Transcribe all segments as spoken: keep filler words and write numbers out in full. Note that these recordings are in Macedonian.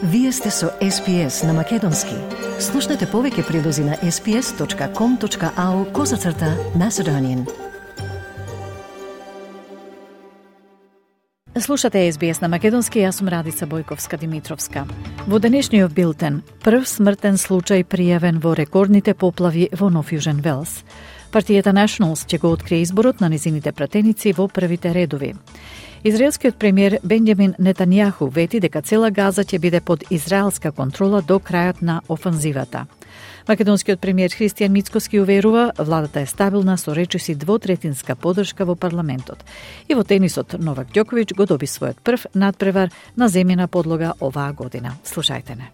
Вие сте со Ес Би Ес на Македонски. Слушнете повеќе прилози на ес би ес точка ком точка ау козацрта Macedonian. Слушате Ес Би Ес на Македонски, јас сум Радица Бојковска-Димитровска. Во денешниот билтен, прв смртен случај пријавен во рекордните поплави во Нов Јужен Велс. Партијата Nationals ќе го открие изборот на низините пратеници во првите редови. Израелскиот премиер Бенџамин Нетањаху вети дека цела Газа ќе биде под израелска контрола до крајот на офанзивата. Македонскиот премиер Христијан Мицкоски уверува, владата е стабилна со речиси двотретинска поддршка во парламентот. И во тенисот Новак Ѓоковиќ го доби својот прв надпревар на земјана подлога оваа година. Слушајте не.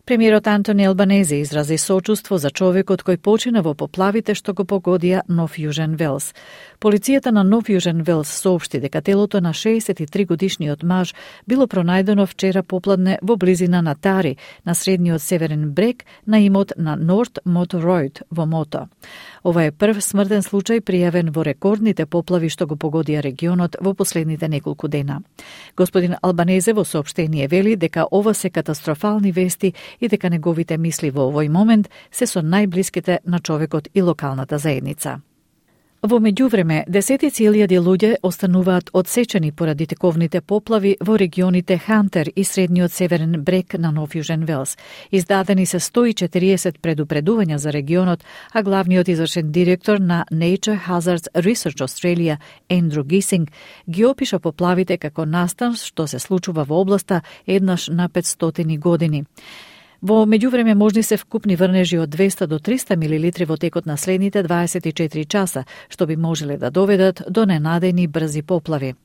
Премиерот Антони Албанезе изрази сочувство за човекот кој почина во поплавите што го погодија Нов Јужен Велс. Полицијата на Нов Јужен Велс соопшти дека телото на шеесет и три годишниот маж било пронајдено вчера попладне во близина на Тари, на средниот северен брег на имот на Норт Мото Ројд во Мото. Ова е прв смртен случај пријавен во рекордните поплави што го погодија регионот во последните неколку дена. Господин Албанезе во соопштение вели дека ова се катастрофални вести и дека неговите мисли во овој момент се со најблиските на човекот и локалната заедница. Во меѓувреме, десетици илјади луѓе остануваат одсечени поради тековните поплави во регионите Хантер и средниот северен брег на Нов Јужен Велс. Издадени се сто и четириесет предупредувања за регионот, а главниот извршен директор на Nature Hazards Research Australia, Ендрю Гисинг, ги опиша поплавите како настан што се случува во областа еднаш на петстотини години. Во меѓувреме можни се вкупни врнежи од двеста до триста милилитри во текот на следните дваесет и четири часа, што би можеле да доведат до ненадејни брзи поплави.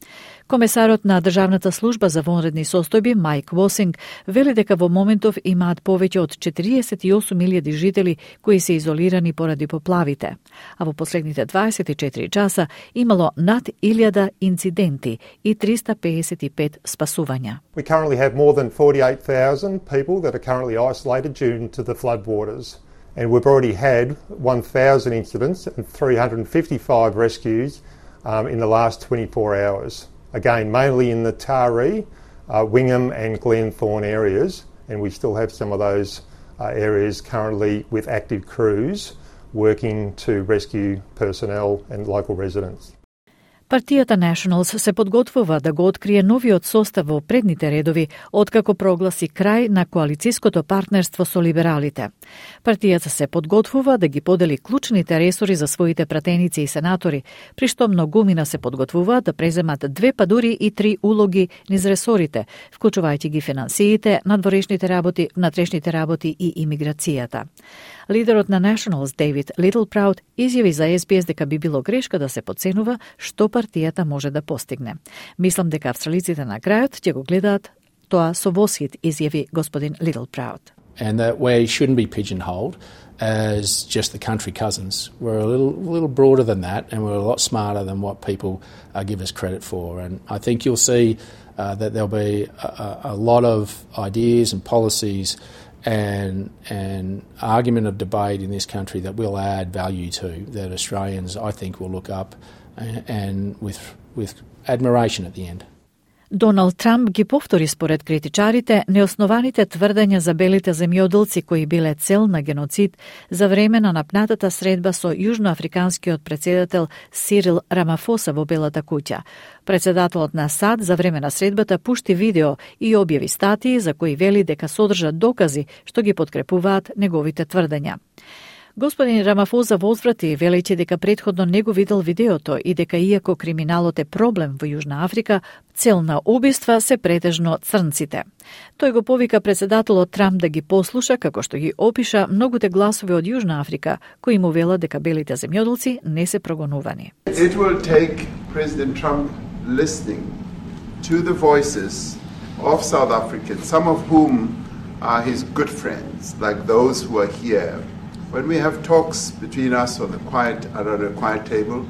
Комесарот на Државната служба за вонредни состојби Мајк Восинг вели дека во моментов имаат повеќе од четириесет и осум илјади жители кои се изолирани поради поплавите, а во последните дваесет и четири часа имало над илјада инциденти и триста пеесет и пет спасувања. We currently have more than forty-eight thousand people that are currently isolated due to the floodwaters, and we've already had one thousand incidents and three hundred fifty-five rescues um, in the last twenty-four hours. Again, mainly in the Taree, uh, Wingham and Glenthorne areas, and we still have some of those uh, areas currently with active crews working to rescue personnel and local residents. Партијата Nationals се подготвува да го открие новиот состав во предните редови, откако прогласи крај на коалициското партнерство со либералите. Партијата се подготвува да ги подели клучните ресори за своите пратеници и сенатори, при што многумина се подготвуваат да преземат две па дури и три улоги низ ресорите, вклучувајќи ги финансиите, надворешните работи, внатрешните работи и имиграцијата. Лидерот на Nationals, Дейвид Литлпраут, изјави за Ес Би Ес дека би било грешка да се подценува што партијата може да постигне. Мислам дека австралиците на крајот ќе го гледаат тоа со восхит, изјави господин Литлпраут. And that we shouldn't be pigeonholed as just the country cousins. We're a little, little broader than that, and we're a lot smarter than what people uh, give us credit for. And I think you'll see uh, that there'll be a, a lot of ideas and policies and an argument of debate in this country that will add value to, that Australians, I think, will look up and, and with, with admiration at the end. Доналд Трамп ги повтори според критичарите неоснованите тврдења за белите земјоделци кои биле цел на геноцид за време на напнатата средба со јужноафриканскиот председател Сирил Рамафоса во Белата куќа. Председателот на САД за време на средбата пушти видео и објави статии за кои вели дека содржат докази што ги подкрепуваат неговите тврдења. Господин Рамафоза возврати велејќи дека претходно не го видел видеото и дека иако криминалот е проблем во Јужна Африка, цел на убиства се претежно црнците. Тој го повика председателот Трамп да ги послуша како што ги опиша многуте гласови од Јужна Африка кои му велат дека белите земјоделци не се прогонувани. It will take President Trump listening to the voices of South Africans, some of whom are his good friends, like those who are here. When we have talks between us on the quiet, around a quiet table,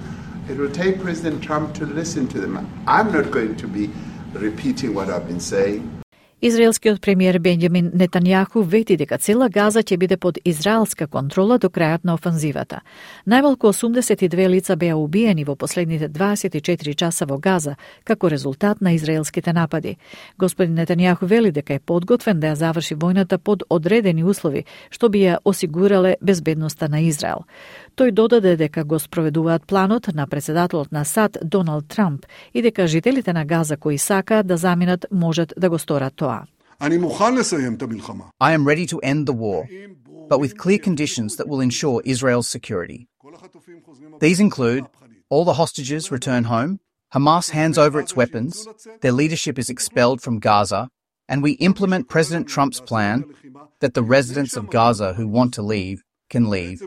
it will take President Trump to listen to them. I'm not going to be repeating what I've been saying. Израелскиот премиер Бенјамин Нетањаху вети дека цела Газа ќе биде под израелска контрола до крајот на офанзивата. Најмалку осумдесет и две лица беа убиени во последните дваесет и четири часа во Газа како резултат на израелските напади. Господин Нетањаху вели дека е подготвен да ја заврши војната под одредени услови, што би ја осигурале безбедноста на Израел. Тој додаде дека го спроведуваат планот на председателот на САД Доналд Трамп и дека жителите на Газа кои сакаат да заминат можат да го сторат тоа. I am ready to end the war, but with clear conditions that will ensure Israel's security. These include all the hostages return home, Hamas hands over its weapons, their leadership is expelled from Gaza, and we implement President Trump's plan that the residents of Gaza who want to leave can leave.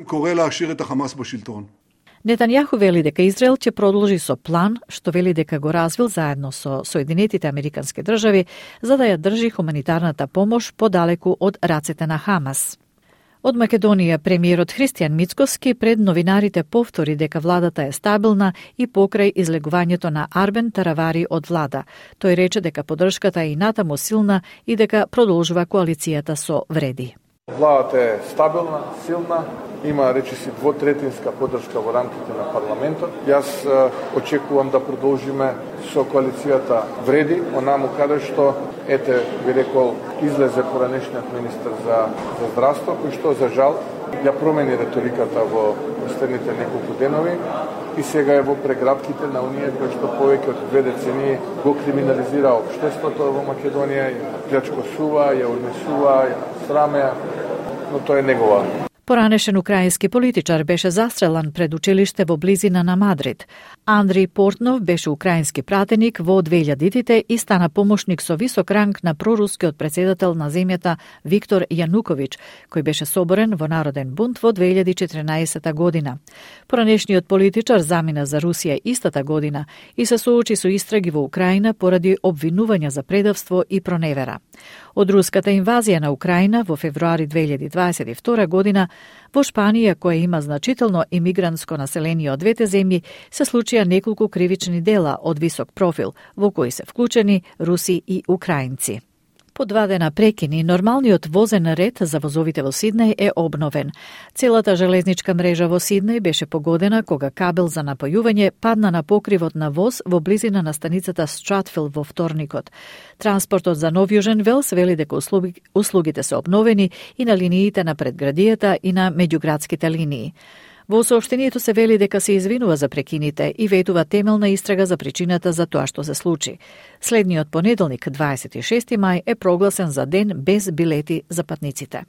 Нетањаху вели дека Израел ќе продолжи со план, што вели дека го развил заедно со Соединетите Американски држави, за да ја држи хуманитарната помош подалеку од рацете на Хамас. Од Македонија, премиерот Христијан Мицкоски пред новинарите повтори дека владата е стабилна и покрај излегувањето на Арбен Таравари од влада. Тој рече дека поддршката е и натаму силна и дека продолжува коалицијата со вреди. Владата е стабилна, силна, има речиси двотретинска поддршка во рамките на парламентот. Јас е, очекувам да продолжиме со коалицијата вреди, онаму каде што, ете, би рекол, излезе поранешниот министер за, за здравство, кој што, за жал, ја промени реториката во последните неколку денови и сега е во прегратките на оние кои што повеќе од две децении го криминализира општеството во Македонија, ја плячкосува, ја однесува, ја сраме, но тоа е негова. Поранешен украински политичар беше застрелан пред училиште во близина на Мадрид. Андрей Портнов беше украински пратеник во две илјадитите и стана помошник со висок ранг на прорускиот претседател на земјата Виктор Јануковиќ, кој беше соборен во Народен бунт во две илјади и четиринаесета година. Поранешниот политичар замина за Русија истата година и се соочи со истраги во Украина поради обвинувања за предавство и проневера. Од руската инвазија на Украина во февруари две илјади дваесет и втора година во Шпанија, која има значително имигрантско население од двете земји, се случија неколку кривични дела од висок профил, во кои се вклучени руси и украинци. По два дена прекини, нормалниот возен ред за возовите во Сиднеј е обновен. Целата железничка мрежа во Сиднеј беше погодена кога кабел за напојување падна на покривот на воз во близина на станицата Стратфил во вторникот. Транспортот за Нов Јужен Велс вели дека услуги, услугите се обновени и на линиите на предградијата и на меѓуградските линии. Во соопштението се вели дека се извинува за прекините и ветува темелна истрага за причината за тоа што се случи. Следниот понеделник, дваесет и шести мај, е прогласен за ден без билети за патниците.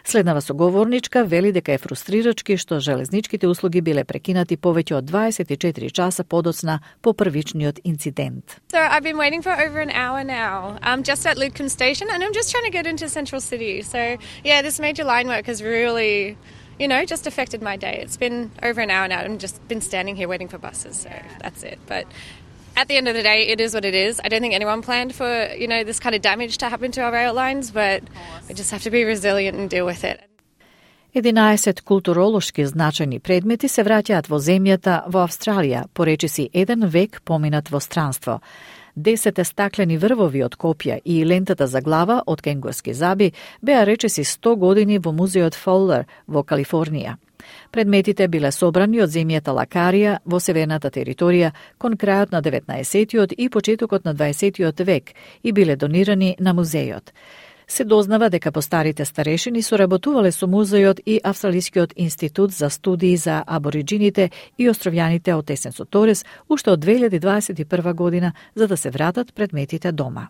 Следнава соговорничка вели дека е фрустрирачки што железничките услуги биле прекинати повеќе од дваесет и четири часа подоцна по првичниот инцидент. So I've been waiting for over an hour now. I'm just at Lidcombe station and I'm just trying to get into Central City. So yeah, this major line work has really, you know, just affected my day. It's been over an hour now. I've just been standing here waiting for buses, so that's it. But at the end of the day, it is what it is. I don't think anyone planned for, you know, this kind of damage to happen to our rail lines, but we just have to be resilient and deal with it. единаесет културолошки значајни предмети се враќаат во земјата во Австралија, поречиси еден век поминат во странство. Десете стаклени врвови од копја и лентата за глава од кенгурски заби беа речиси сто години во музеот Фоллер во Калифорнија. Предметите биле собрани од земјата Лакарија во северната територија кон крајот на деветнаесеттиот и почетокот на дваесеттиот век и биле донирани на музејот. Се дознава дека постарите старешини соработувале со музејот и Австралискиот институт за студии за абориджините и островјаните од Есенсо Торес уште од две илјади дваесет и прва година за да се вратат предметите дома.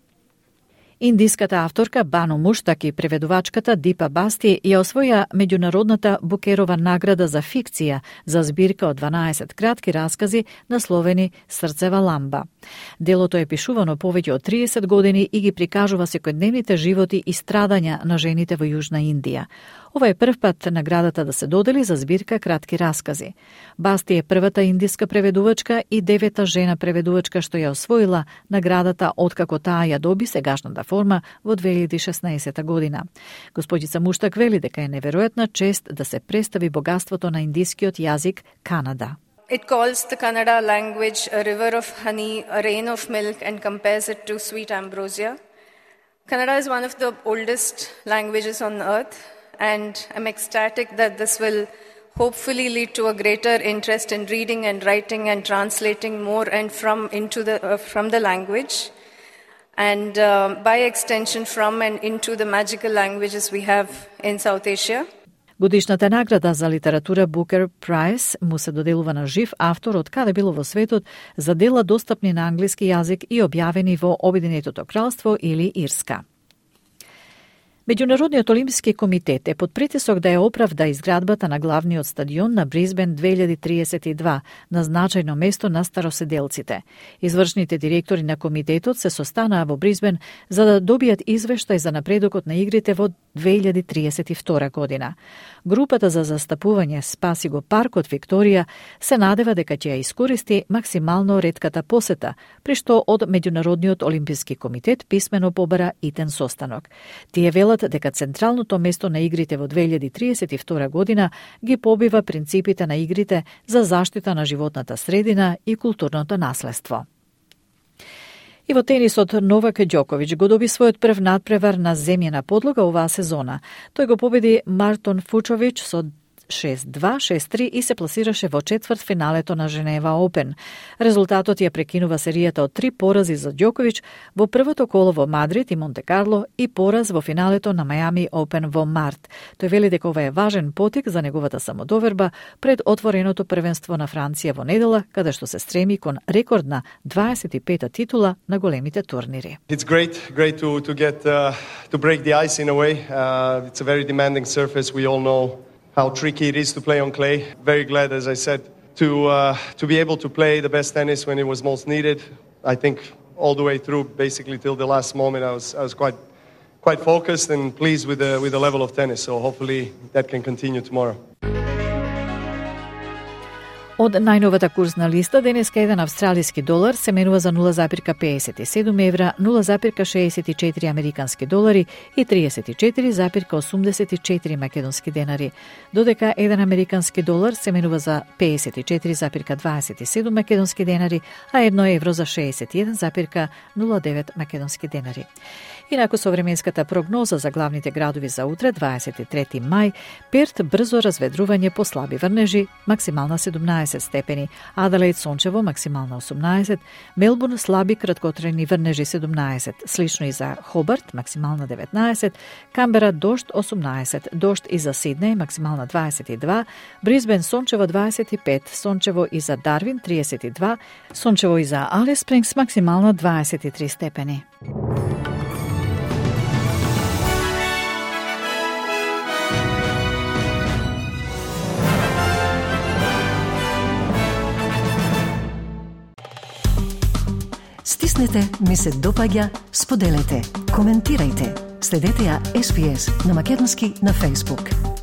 Индиската авторка Бану Муштаки, преведувачката Дипа Басти ја освоја меѓународната Букерова награда за фикција за збирка од дванаесет кратки раскази насловени Срцева ламба. Делото е пишувано повеќе од триесет години и ги прикажува секојдневните животи и страдања на жените во Јужна Индија. Ова е прв пат наградата да се додели за збирка кратки раскази. Басти е првата индиска преведувачка и девета жена преведувачка што ја освоила наградата откако таа ја доби сегашната форма во две илјади и шеснаесета година. Господица Муштак вели дека е неверојатна чест да се представи богатството на индискиот јазик Канада. It calls the Kannada language a river of honey, a rain of milk and compares it to sweet ambrosia. Kannada is one of the oldest languages on earth, and I'm ecstatic that this will hopefully lead to a greater interest in reading and writing and translating more and from into the uh, from the language, and uh, by extension from and into the magical languages we have in South Asia. Годишната награда за литература Booker Prize му се доделува на жив автор од каде било во светот за дела достапни на англиски јазик и објавени во Обединетото кралство или Ирска. Меѓународниот олимписки комитет е под притисок да ја оправда изградбата на главниот стадион на Брисбен две илјади триесет и два на значајно место на староседелците. Извршните директори на комитетот се состанаа во Брисбен за да добијат извештај за напредокот на игрите во две илјади триесет и втора година. Групата за застапување Спаси го паркот Викторија се надева дека ќе ја искористи максимално ретката посета, при што од Меѓународниот олимписки комитет писмено побара итен состанок. Тие велат дека централното место на игрите во две илјади триесет и втора година ги побива принципите на игрите за заштита на животната средина и културното наследство. И во тенисот Новак Ѓоковиќ го доби својот прв надпревар на земјена подлога оваа сезона. Тој го победи Мартон Фучовиќ со шест два, шест три и се пласираше во четврт финалето на Женева Опен. Резултатот ја прекинува серијата од три порази за Ѓоковиќ во првото коло во Мадрид и Монте Карло и пораз во финалето на Мајами Опен во март. Тој вели дека ова е важен потик за неговата самодоверба пред отвореното првенство на Франција во недела, каде што се стреми кон рекордна дваесет и пета титула на големите турнири. It's great, great to to get uh, to break the ice in a way. Uh, it's a very demanding surface. We all know how tricky it is to play on clay. Very glad, as I said, to uh, to be able to play the best tennis when it was most needed. I think all the way through, basically till the last moment, I was I was quite quite focused and pleased with the with the level of tennis. So hopefully that can continue tomorrow. Од најновата курсна листа, денеска еден австралиски долар се менува за нула запирка пеесет и седум евра, нула запирка шеесет и четири американски долари и триесет и четири запирка осумдесет и четири македонски денари, додека еден американски долар се менува за пеесет и четири запирка дваесет и седум македонски денари, а едно евро за шеесет и еден запирка нула девет македонски денари. Инаку со временската прогноза за главните градови за утре, дваесет и трети мај, Перт брзо разведрување по слаби врнежи, максимална седумнаесет степени, Аделаид сончево, максимална осумнаесет, Мелбурн слаби краткотрajни врнежи седумнаесет, слично и за Хобарт, максимална деветнаесет, Камбера дожд осумнаесет, дожд и за Сиднеј, максимална дваесет и два, Брисбен сончево дваесет и пет, сончево и за Дарвин триесет и два, сончево и за Алис Спрингс, максимална дваесет и три степени. Стиснете, ми се допаѓа, споделете, коментирајте. Следете ја Ес Би Ес на македонски на Facebook.